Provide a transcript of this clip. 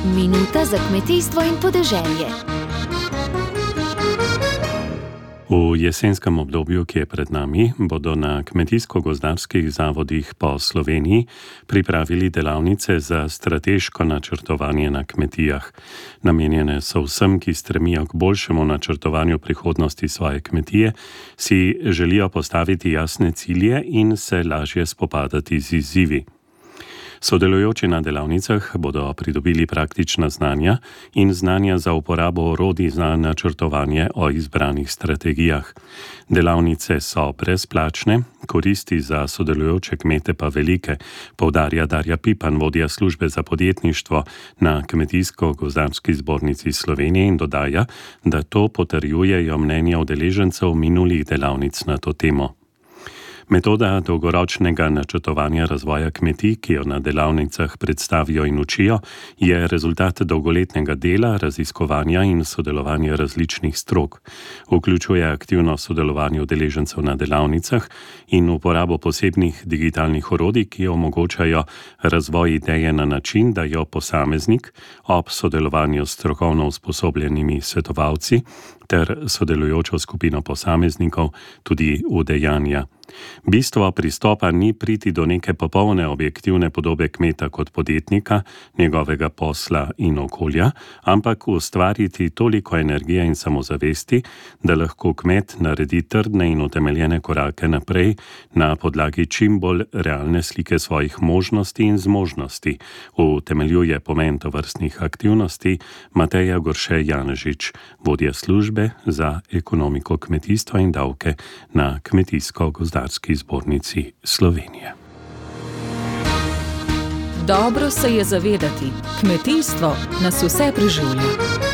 Minuta za kmetijstvo in podeželje. V jesenskem obdobju, ki je pred nami, bodo na kmetijsko-gozdarskih zavodih po Sloveniji pripravili delavnice za strateško načrtovanje na kmetijah. Namenjene so vsem, ki stremijo k boljšemu načrtovanju prihodnosti svoje kmetije, si želijo postaviti jasne cilje in se lažje spopadati z izzivi. Sodelujoči na delavnicah bodo pridobili praktična znanja in znanja za uporabo orodij za načrtovanje o izbranih strategijah. Delavnice so brezplačne, koristi za sodelujoče kmete pa velike, poudarja Darja Pipan, vodja službe za podjetništvo na Kmetijsko-gozdarski zbornici Slovenije, in dodaja, da to potrjujejo mnenja udeležencev minulih delavnic na to temo. Metoda dolgoročnega načrtovanja razvoja kmetij, ki jo na delavnicah predstavijo in učijo, je rezultat dolgoletnega dela, raziskovanja in sodelovanja različnih strok. Vključuje aktivno sodelovanje udeležencev na delavnicah in uporabo posebnih digitalnih orodij, ki omogočajo razvoj ideje na način, da jo posameznik ob sodelovanju s strokovno usposobljenimi svetovalci ter sodelujočo skupino posameznikov tudi udejanja. Bistvo pristopa ni priti do neke popolne objektivne podobe kmeta kot podjetnika, njegovega posla in okolja, ampak ustvariti toliko energije in samozavesti, da lahko kmet naredi trdne in utemeljene korake naprej na podlagi čim bolj realne slike svojih možnosti in zmožnosti, utemeljuje pomen tovrstnih aktivnosti Mateja Gorše Janežič, vodja službe za ekonomiko kmetijstva in davke na Kmetijsko-gozdarski zbornici Slovenije. Dobro se je zavedati, kmetijstvo nas vse preživlja.